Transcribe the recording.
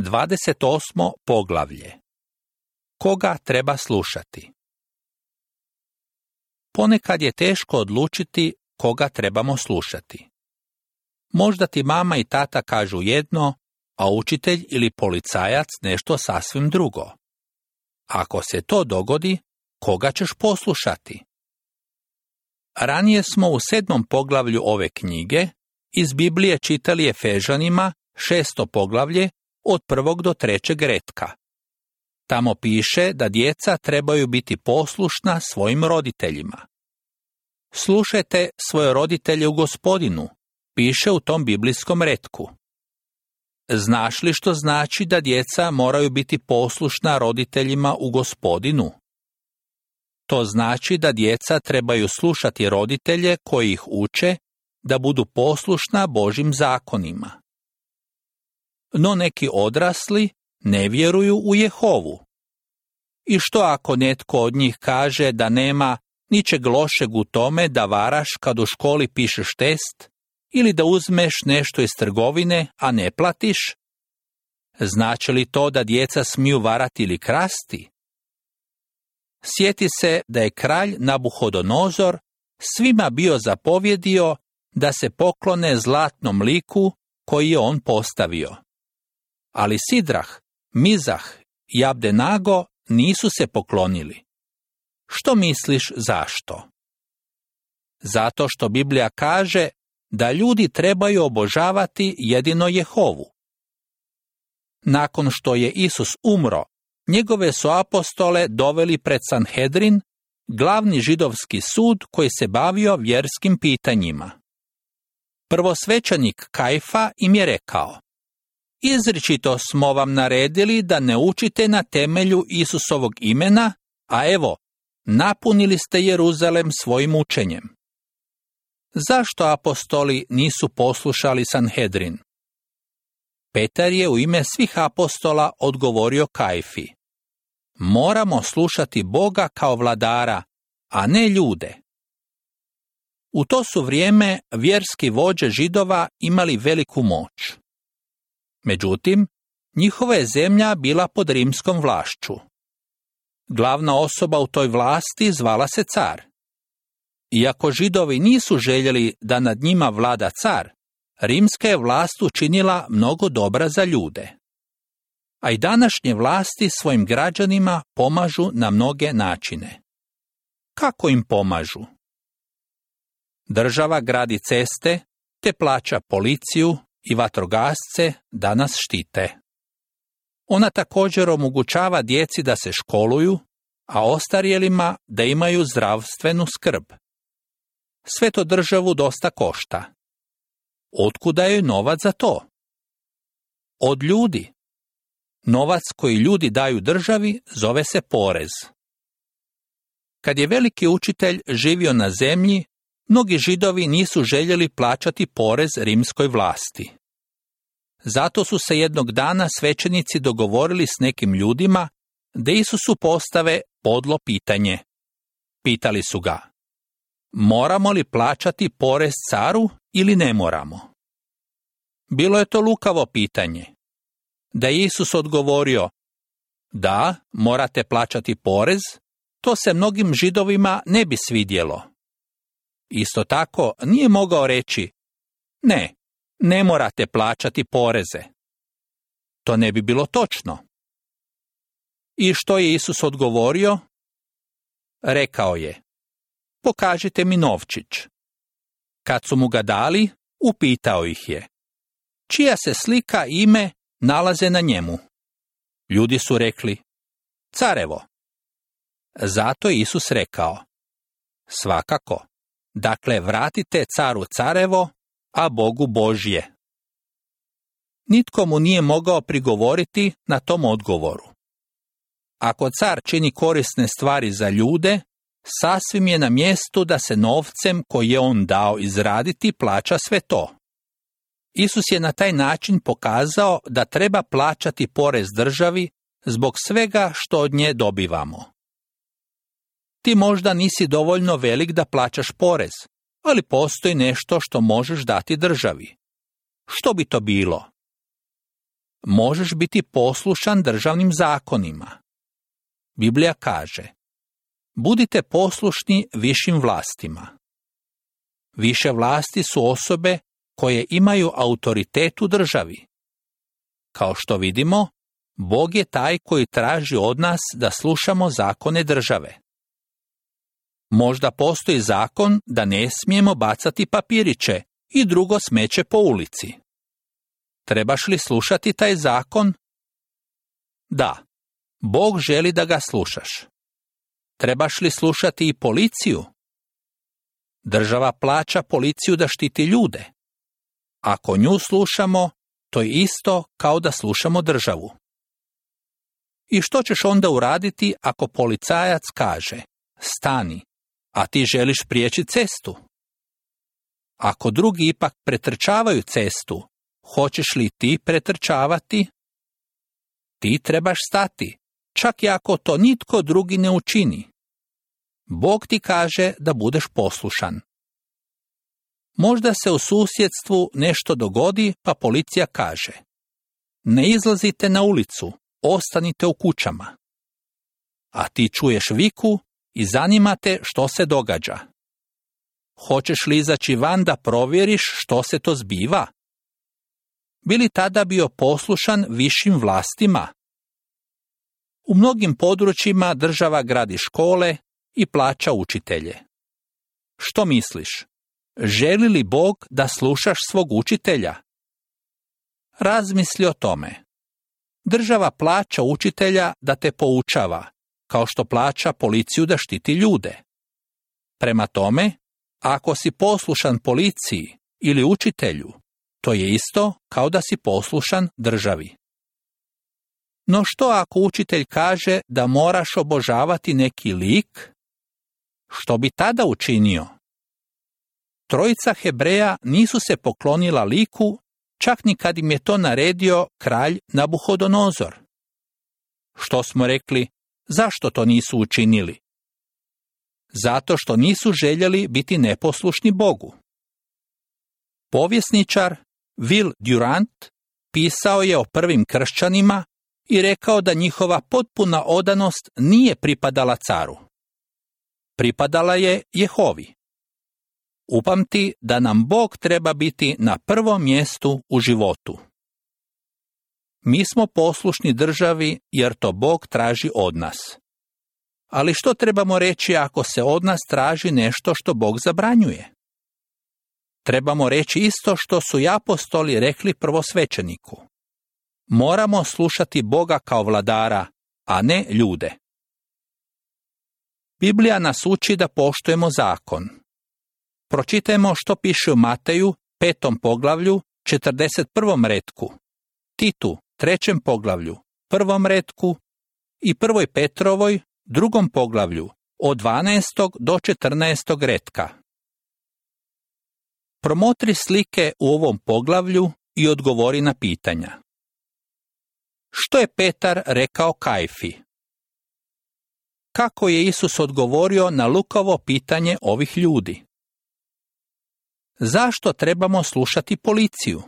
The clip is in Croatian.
28. poglavlje. Koga treba slušati? Ponekad je teško odlučiti koga trebamo slušati. Možda ti mama i tata kažu jedno, a učitelj ili policajac nešto sasvim drugo. Ako se to dogodi, koga ćeš poslušati? Ranije smo u 7. poglavlju ove knjige iz Biblije čitali Efežanima 6. poglavlje od 1. do 3. retka. Tamo piše da djeca trebaju biti poslušna svojim roditeljima. Slušajte svoje roditelje u Gospodinu, piše u tom biblijskom retku. Znaš li što znači da djeca moraju biti poslušna roditeljima u Gospodinu? To znači da djeca trebaju slušati roditelje koji ih uče da budu poslušna Božjim zakonima. No neki odrasli ne vjeruju u Jehovu. I što ako netko od njih kaže da nema ničeg lošeg u tome da varaš kad u školi pišeš test ili da uzmeš nešto iz trgovine, a ne platiš? Znači li to da djeca smiju varati ili krasti? Sjeti se da je kralj Nabuhodonozor svima bio zapovjedio da se poklone zlatnom liku koji je on postavio. Ali Sidrah, Mizah i Abdenago nisu se poklonili. Što misliš zašto? Zato što Biblija kaže da ljudi trebaju obožavati jedino Jehovu. Nakon što je Isus umro, njegove su apostole doveli pred Sanhedrin, glavni židovski sud koji se bavio vjerskim pitanjima. Prvosvećenik Kajfa im je rekao: izričito smo vam naredili da ne učite na temelju Isusovog imena, a evo, napunili ste Jeruzalem svojim učenjem. Zašto apostoli nisu poslušali Sanhedrin? Petar je u ime svih apostola odgovorio Kajfi: moramo slušati Boga kao vladara, a ne ljude. U to su vrijeme vjerski vođe Židova imali veliku moć. Međutim, njihova je zemlja bila pod rimskom vlašću. Glavna osoba u toj vlasti zvala se car. Iako Židovi nisu željeli da nad njima vlada car, rimska je vlast učinila mnogo dobra za ljude. A i današnje vlasti svojim građanima pomažu na mnoge načine. Kako im pomažu? Država gradi ceste, te plaća policiju i vatrogasce da nas štite. Ona također omogućava djeci da se školuju, a ostarjelima da imaju zdravstvenu skrb. Sve to državu dosta košta. Otkuda je novac za to? Od ljudi. Novac koji ljudi daju državi zove se porez. Kad je veliki učitelj živio na zemlji, mnogi Židovi nisu željeli plaćati porez rimskoj vlasti. Zato su se jednog dana svećenici dogovorili s nekim ljudima da Isusu postave podlo pitanje. Pitali su ga: moramo li plaćati porez caru ili ne moramo? Bilo je to lukavo pitanje. Da je Isus odgovorio: da, morate plaćati porez, to se mnogim Židovima ne bi svidjelo. Isto tako nije mogao reći: ne morate plaćati poreze. To ne bi bilo točno. I što je Isus odgovorio? Rekao je: pokažite mi novčić. Kad su mu ga dali, upitao ih je: čija se slika i ime nalaze na njemu? Ljudi su rekli: carevo. Zato je Isus rekao: svakako, dakle vratite caru carevo, a Bogu Božje. Nitko mu nije mogao prigovoriti na tom odgovoru. Ako car čini korisne stvari za ljude, sasvim je na mjestu da se novcem koji je on dao izraditi plaća sve to. Isus je na taj način pokazao da treba plaćati porez državi zbog svega što od nje dobivamo. Ti možda nisi dovoljno velik da plaćaš porez, ali postoji nešto što možeš dati državi. Što bi to bilo? možeš biti poslušan državnim zakonima. Biblija kaže: budite poslušni višim vlastima. Više vlasti su osobe koje imaju autoritet u državi. Kao što vidimo, Bog je taj koji traži od nas da slušamo zakone države. Možda postoji zakon da ne smijemo bacati papiriće i drugo smeće po ulici. Trebaš li slušati taj zakon? Da, Bog želi da ga slušaš. Trebaš li slušati i policiju? Država plaća policiju da štiti ljude. Ako nju slušamo, to je isto kao da slušamo državu. I što ćeš onda uraditi ako policajac kaže: stani, a ti želiš prijeći cestu? Ako drugi ipak pretrčavaju cestu, hoćeš li ti pretrčavati? Ti trebaš stati, čak i ako to nitko drugi ne učini. Bog ti kaže da budeš poslušan. Možda se u susjedstvu nešto dogodi, pa policija kaže: ne izlazite na ulicu, ostanite u kućama. A ti čuješ viku i zanima te što se događa. Hoćeš li izaći van da provjeriš što se to zbiva? Bi li tada bio poslušan višim vlastima? U mnogim područjima država gradi škole i plaća učitelje. Što misliš? Želi li Bog da slušaš svog učitelja? Razmisli o tome. Država plaća učitelja da te poučava, kao što plaća policiju da štiti ljude. Prema tome, ako si poslušan policiji ili učitelju, to je isto kao da si poslušan državi. No što ako učitelj kaže da moraš obožavati neki lik? Što bi tada učinio? Trojica Hebreja nisu se poklonila liku, čak ni kad im je to naredio kralj Nabuhodonozor. Što smo rekli, zašto to nisu učinili? Zato što nisu željeli biti neposlušni Bogu. Povjesničar Will Durant pisao je o prvim kršćanima i rekao da njihova potpuna odanost nije pripadala caru. Pripadala je Jehovi. Upamti da nam Bog treba biti na prvom mjestu u životu. Mi smo poslušni državi jer to Bog traži od nas. Ali što trebamo reći ako se od nas traži nešto što Bog zabranjuje? Trebamo reći isto što su i apostoli rekli prvosvećeniku. Moramo slušati Boga kao vladara, a ne ljude. Biblija nas uči da poštujemo zakon. Pročitajmo što piše u Mateju, 5. poglavlju, 41. retku, Titu, 3. poglavlju, 1. retku i 1. Petrovoj, 2. poglavlju, od 12. do 14. retka. Promotri slike u ovom poglavlju i odgovori na pitanja. Što je Petar rekao Kajfi? Kako je Isus odgovorio na Lukovo pitanje ovih ljudi? Zašto trebamo slušati policiju?